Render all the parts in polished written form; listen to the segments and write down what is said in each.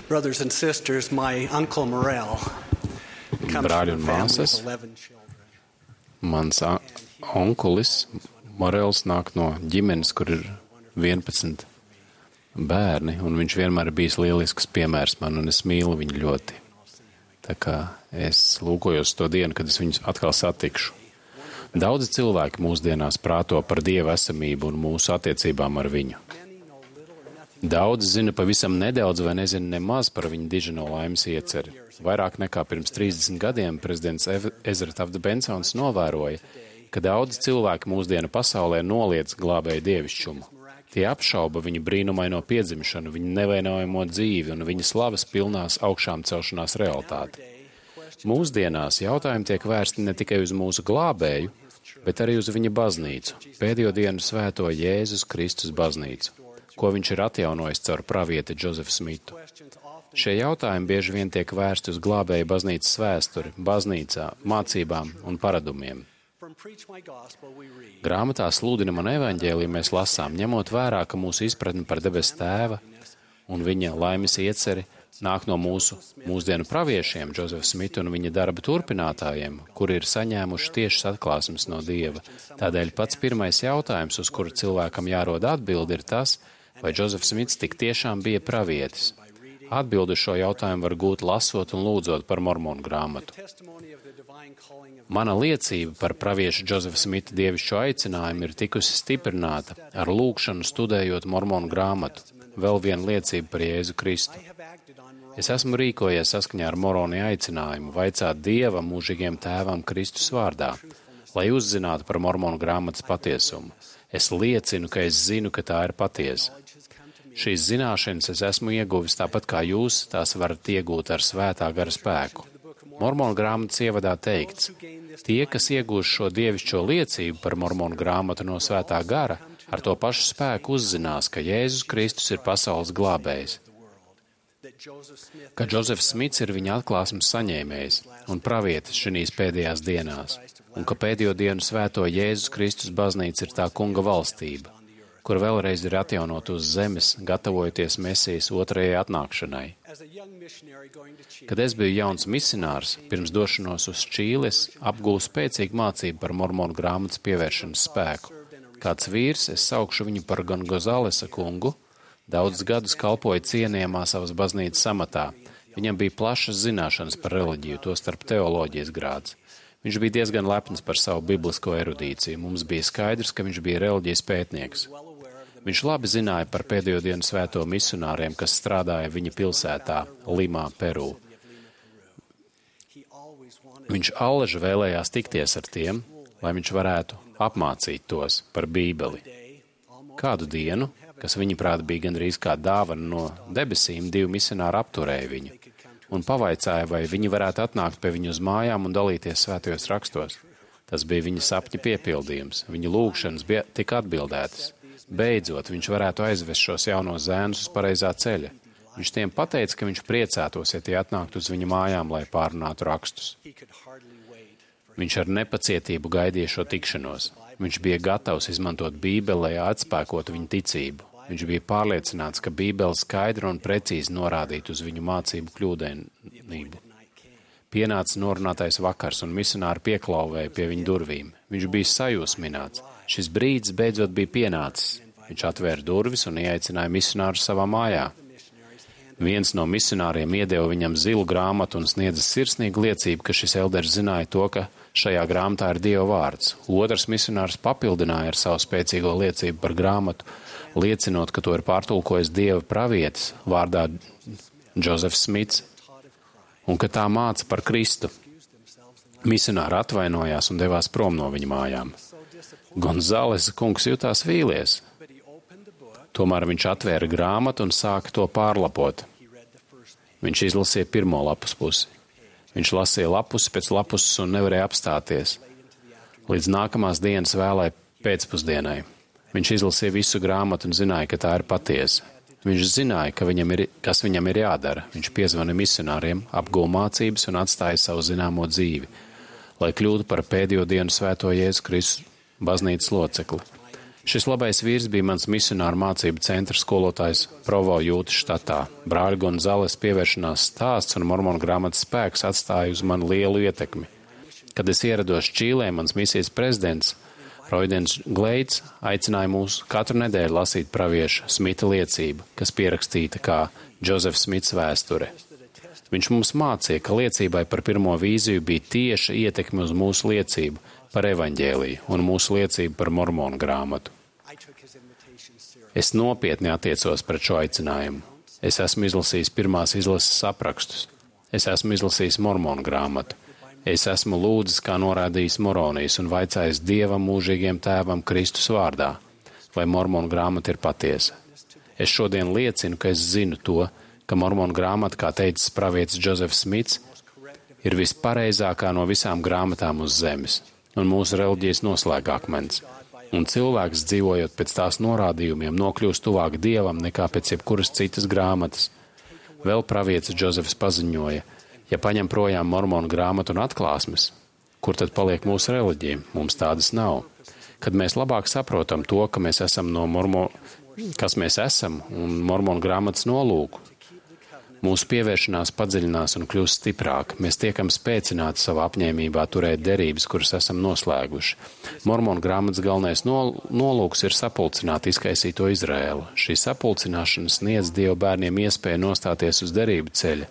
Brothers and sisters, my uncle Morel comes Brāļi from un a family māsas, of 11 children. mans onkulis Morels nāk no ģimenes, kur ir 11 bērni, un viņš vienmēr ir bijis lielisks piemērs man, un es mīlu viņu ļoti. Tā kā es lūkojos to dienu, kad es viņus atkal satikšu. Daudzi cilvēki mūsdienās prāto par Dieva esamību un mūsu attiecībām ar viņu. Daudzi zina pavisam nedaudz vai nezina nemaz par viņu dižino laimes ieceri. Vairāk nekā pirms 30 gadiem prezidents Ezra Tafts Bensons novēroja, ka daudzi cilvēki mūsdienu pasaulē noliedz glābēju dievišķumu. Tie apšauba viņu brīnumaino piedzimšanu, viņu nevainojamo dzīvi un viņa slavas pilnās augšām celšanās realitāti. Mūsdienās jautājumi tiek vērsti ne tikai uz mūsu glābēju, bet arī uz viņa baznīcu, pēdējo dienu svēto Jēzus Kristus baznīcu, ko viņš ir atjaunojis caur pravieti Džozefu Smitu. Šie jautājumi bieži vien tiek vērsti uz glābēju baznīcas vēsturi, baznīcā, mācībām un paradumiem. Grāmatā Sludinam evaņģēliju mēs lasām, ņemot vērā, ka mūsu izpratne par debes tēva un viņa laimes ieceri nāk no mūsdienu praviešiem, Džozefa Smita un viņa darba turpinātājiem, kuri ir saņēmuši tiešas atklāsmes no Dieva. Tādēļ pats pirmais jautājums, uz kuru cilvēkam jārod atbildi, ir tas, vai Džozefs Smits tik tiešām bija pravietis. Atbildi uz šo jautājumu var gūt lasot un lūdzot par Mormonu grāmatu. Mana liecība par praviešu Džozefa Smita dievišķo aicinājumu ir tikusi stiprināta ar lūgšanu studējot Mormonu grāmatu, vēl viena liecība par Jēzu Kristu. Es esmu rīkojies saskaņā ar Moroni aicinājumu vaicāt Dieva mūžīgiem tēvam Kristus vārdā, lai uzzinātu par Mormonu grāmatas patiesumu. Es liecinu, ka es zinu, ka tā ir patiesa. Šīs zināšanas es esmu ieguvis tāpat kā jūs tās varat iegūt ar svētā gara spēku. Mormonu grāmatas ievadā teikts, tie, kas iegūs šo dievišķo liecību par Mormonu grāmatu no svētā gara, ar to pašu spēku uzzinās, ka Jēzus Kristus ir pasaules glābējs, ka Džozefs Smits ir viņa atklāsmes saņēmējs un pravietis šīs pēdējās dienās, un ka pēdējo dienu svēto Jēzus Kristus baznīca ir tā kunga valstība, kur vēlreiz ir atjaunot uz zemes, gatavojoties Mesijas otrajai atnākšanai. Kad es biju jauns misionārs, pirms došanos uz Čīli, es apgūlu spēcīgu mācību par Mormonu grāmatas pievēršanas spēku. Kāds vīrs, es saukšu viņu par Gan Gozalesa kungu, daudzus gadus kalpoja cienījamā savas baznīcas amatā. Viņam bija plašas zināšanas par reliģiju, tostarp teoloģijas grāds. Viņš bija diezgan lepns par savu biblisko erudīciju. Mums bija skaidrs, ka viņš bija reliģijas pētnieks. Viņš labi zināja par pēdējo dienu svēto misionāriem, kas strādāja viņa pilsētā, Limā, Peru. Viņš allaži vēlējās tikties ar tiem, lai viņš varētu apmācīt tos par Bībeli. Kādu dienu, kas viņuprāt bija gandrīz kā dāvana no debesīm, 2 misionāri apturēja viņu un pavaicāja, vai viņi varētu atnākt pie viņu uz mājām un dalīties svētajos rakstos. Tas bija viņa sapņa piepildījums. Viņa lūgšanas tika atbildētas. Beidzot, viņš varētu aizvest šos jaunos zēnus uz pareizā ceļa. Viņš tiem pateica, ka viņš priecātos, ja tie atnāktu uz viņa mājām, lai pārunātu rakstus. Viņš ar nepacietību gaidīja šo tikšanos. Viņš bija gatavs izmantot Bībeli, lai atspēkotu viņa ticību. Viņš bija pārliecināts, ka Bībele skaidri un precīzi norādītu uz viņu mācību kļūdainību. Pienāca norunātais vakars, un misionāri pieklauvēja pie viņa durvīm. Viņš bija sajūsmināts. Šis brīdis beidzot bija pienācis. Viņš atvēra durvis un ieaicināja misionāru savā mājā. Viens no misionāriem iedeva viņam zilu grāmatu un sniedza sirsnīgu liecību, ka šis elderis zināja to, ka šajā grāmatā ir Dieva vārds. Otrs misionārs papildināja ar savu spēcīgo liecību par grāmatu, liecinot, ka to ir pārtulkojis Dieva pravietis vārdā Džozefs Smits un ka tā māca par Kristu. Misionāri atvainojās un devās prom no viņa mājām. Gonzāles kungs jutās vīlies. Tomēr viņš atvēra grāmatu un sāka to pārlapot. Viņš izlasīja pirmo lapus pusi. Viņš lasīja lapusi pēc lapuses un nevarēja apstāties. Līdz nākamās dienas vēlai pēcpusdienai. Viņš izlasīja visu grāmatu un zināja, ka tā ir patiesa. Viņš zināja, kas viņam ir jādara. Viņš piezvana misionāriem, apguva mācības un atstāja savu zināmo dzīvi, lai kļūtu par pēdējo dienu svēto Jēzu Kristu baznīcas locekli. Šis labais vīrs bija mans misionāru mācību centra skolotājs Provo Jūtas štatā. Brāļa Gonzales pievēršanās stāsts un mormonu grāmatas spēks atstāja uz mani lielu ietekmi. Kad es ierados Čīlē, mans misijas prezidents Roidens Gleids aicināja mūs katru nedēļu lasīt pravieša Smita liecību, kas pierakstīta kā Džozefs Smits vēsture. Viņš mums mācīja, ka liecībai par pirmo vīziju bija tieša ietekme uz mūsu liecību par evaņģēliju un mūsu liecību par mormonu grāmatu. Es nopietni attiecos pret šo aicinājumu. Es esmu izlasījis pirmās izlases aprakstus. Es esmu izlasījis mormonu grāmatu. Es esmu lūdzis, kā norādījis Moronijs, un vaicājis Dievam mūžīgiem tēvam Kristus vārdā, vai mormonu grāmata ir patiesa. Es šodien liecinu, ka es zinu to, ka mormonu grāmata, kā teicis pravietis Džozefs Smits, ir vispareizākā no visām grāmatām uz zemes, un mūsu reliģijas noslēgākmens. Un cilvēks, dzīvojot pēc tās norādījumiem, nokļūst tuvāk Dievam nekā pēc jebkuras citas grāmatas. Vēl pravietis Džozefs paziņoja, ja paņem projām mormonu grāmatu un atklāsmes, kur tad paliek mūsu reliģija? Mums tādas nav. Kad mēs labāk saprotam to, ka mēs esam kas mēs esam un mormonu grāmatas nolūku, mūsu pievēršanās padziļinās un kļūst stiprāka. Mēs tiekam spēcināti savā apņēmībā turēt derības, kuras esam noslēguši. Mormonu grāmatas galvenais nolūks ir sapulcināt izkaisīto Izraēlu. Šī sapulcināšana sniedz Dieva bērniem iespēju nostāties uz derību ceļa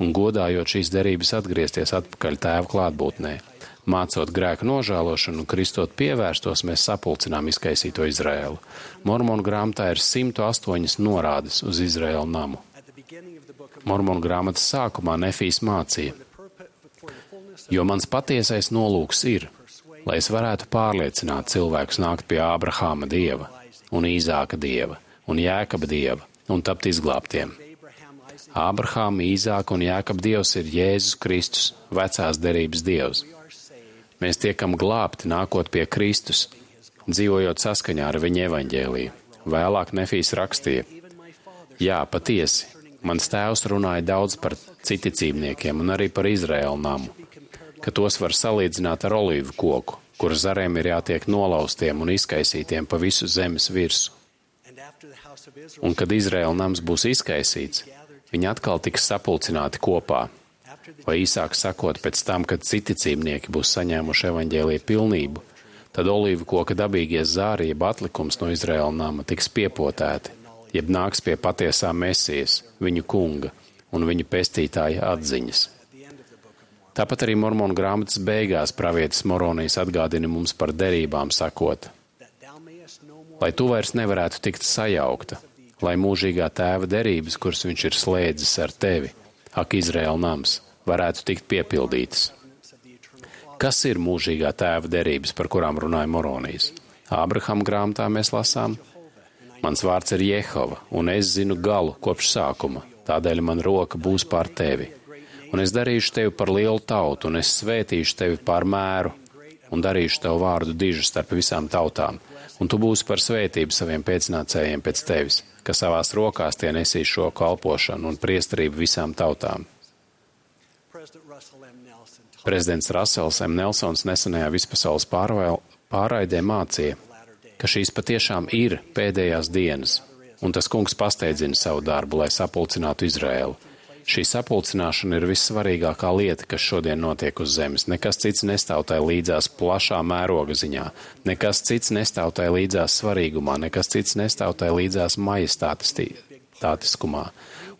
un godājot šīs derības atgriezties atpakaļ Tēva klātbūtnē. Mācot grēku nožēlošanu un kristot pievērstos, mēs sapulcinām izkaisīto Izraēlu. Mormonu grāmatā ir 108 norādes uz Izraēlu namu. Mormonu grāmatas sākumā Nefijs mācīja, jo mans patiesais nolūks ir, lai es varētu pārliecināt cilvēkus nākt pie Ābrahāma Dieva, un Īzāka Dieva, un Jēkaba Dieva, un tapt izglābtiem. Ābrahāma, Īzāka un Jēkaba Dievs ir Jēzus Kristus, vecās derības Dievs. Mēs tiekam glābti nākot pie Kristus, dzīvojot saskaņā ar viņa evaņģēliju. Vēlāk Nefijs rakstīja, jā, patiesi, mans tēvs runāja daudz par citicībniekiem un arī par Izraēlu namu, ka tos var salīdzināt ar olīvu koku, kur zariem ir jātiek nolaustiem un izkaisītiem pa visu zemes virsu. Un kad Izraēla nams būs izkaisīts, viņi atkal tiks sapulcināti kopā, vai īsāk sakot, pēc tam, kad citicībnieki būs saņēmuši evaņģēlija pilnību, tad olīvu koka dabīgie zāri, jeb atlikums no Izraēla nama tiks piepotēti, jeb nāks pie patiesā Mesijas, viņu kunga un viņu pestītāja atziņas. Tāpat arī mormonu grāmatas beigās pravietis Moronijs atgādina mums par derībām sakot, lai tu vairs nevarētu tikt sajaukta, lai mūžīgā tēva derības, kuras viņš ir slēdzis ar tevi, ak Izraēla nams, varētu tikt piepildītas. Kas ir mūžīgā tēva derības, par kurām runāja Moronijs? Ābrahama grāmatā mēs lasām, mans vārds ir Jehova, un es zinu galu kopš sākuma, tādēļ man roka būs pār tevi. Un es darīšu tevi par lielu tautu, un es svētīšu tevi pār mēru, un darīšu tev vārdu dižu starp visām tautām, un tu būsi par svētību saviem pēcnācējiem pēc tevis, ka savās rokās tie nesīs šo kalpošanu un priesterību visām tautām. Prezidents Rasels M. Nelsons nesenajā vispasaules pārraidē mācīja, ka šīs patiešām ir pēdējās dienas, un tas kungs pasteidzina savu darbu, lai sapulcinātu Izraēlu. Šī sapulcināšana ir vissvarīgākā lieta, kas šodien notiek uz zemes. Nekas cits nestāv tai līdzās plašā mēroga ziņā, nekas cits nestāv tai līdzās svarīgumā, nekas cits nestāv tai līdzās majestātiskumā.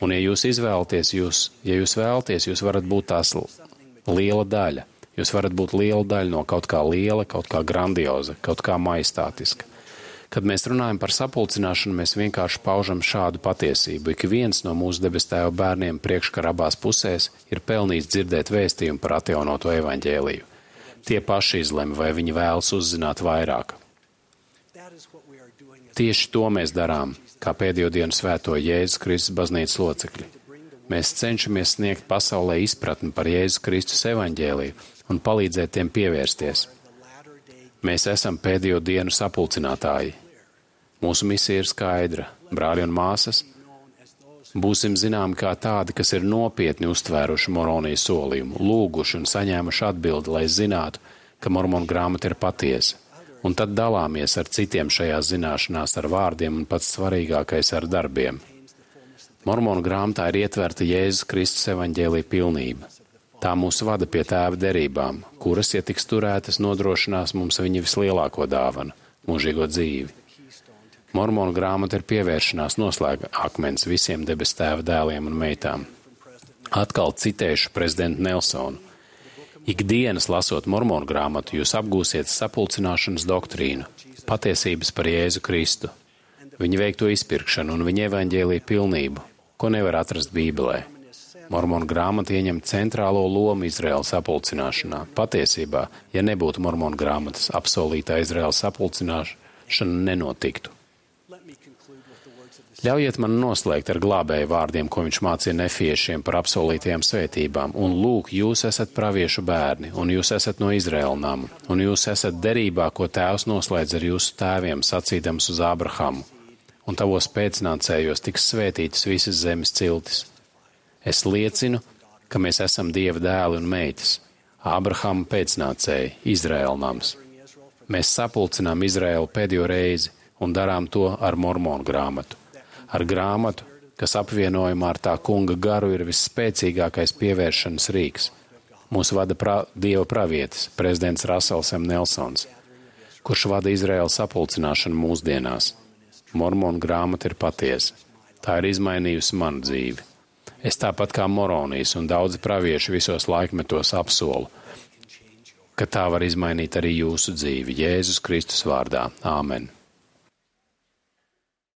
Un ja jūs izvēlaties, jūs varat būt tās liela daļa. Jūs varat būt liela daļa no kaut kā liela, kaut kā grandioza, kaut kā majestātiska. Kad mēs runājam par sapulcināšanu, mēs vienkārši paužam šādu patiesību. Ik viens no mūsu debes tēva bērniem priekškara abās pusēs ir pelnījis dzirdēt vēstījumu par atjaunoto evaņģēliju. Tie paši izlemj, vai viņi vēlas uzzināt vairāk. Tieši to mēs darām, kā pēdējo dienu svēto Jēzus Kristus baznīcas locekļi. Mēs cenšamies sniegt pasaulē izpratni par Jēzus Kristus evaņģēliju un palīdzēt tiem pievērsties. Mēs esam pēdējo dienu sapulcinātāji. Mūsu misija ir skaidra. Brāļi un māsas, būsim zināmi kā tādi, kas ir nopietni uztvēruši Moronijas solījumu, lūguši un saņēmuši atbildi, lai zinātu, ka mormonu grāmata ir patiesa. un tad dalāmies ar citiem šajās zināšanās ar vārdiem un pats svarīgākais ar darbiem. Mormonu grāmatā ir ietverta Jēzus Kristus evaņģēlija pilnība. Tā mūs vada pie Tēva derībām, kuras, ja tiks turētas, nodrošinās mums viņa vislielāko dāvanu – mūžīgo dzīvi. Mormonu grāmata ir pievēršanās noslēga akmens visiem debes Tēva dēliem un meitām. Atkal citēšu prezidentu Nelsonu. Ikdienas lasot Mormonu grāmatu, jūs apgūsiet sapulcināšanas doktrīnu, patiesības par Jēzu Kristu, viņa veikto izpirkšanu un viņa evaņģēlija pilnību, ko nevar atrast Bībelē. Mormonu grāmata ieņem centrālo lomu Izraēlas sapulcināšanā. Patiesībā, ja nebūtu Mormonu grāmatas, apsolītā Izraēlas sapulcināšana nenotiktu. Ļaujiet man noslēgt ar glābēju vārdiem, ko viņš mācīja nefiešiem par apsolītajām svētībām. Un lūk, jūs esat praviešu bērni, un jūs esat no Izraēla nama, un jūs esat derībā, ko Tēvs noslēdz ar jūsu tēviem, sacīdams uz Ābrahamu. Un tavos pēcnācējos tiks svētītas visas zemes ciltis. Es liecinu, ka mēs esam Dieva dēli un meitas, Ābrahama pēcnācēji, Izraēla nams. Mēs sapulcinām Izraēlu pēdējo reizi un darām to ar Mormonu grāmatu. Ar grāmatu, kas apvienojumā ar tā kunga garu ir visspēcīgākais pievēršanas rīks. Mūs vada Dieva pravietis, prezidents Rasels M. Nelsons, kurš vada Izraēlas sapulcināšanu mūsdienās. Mormonu grāmata ir patiesa. Tā ir izmainījusi manu dzīvi. Es tāpat kā moronijas un daudzi pravieši visos laikmetos apsolu, ka tā var izmainīt arī jūsu dzīvi. Jēzus Kristus vārdā. Āmen.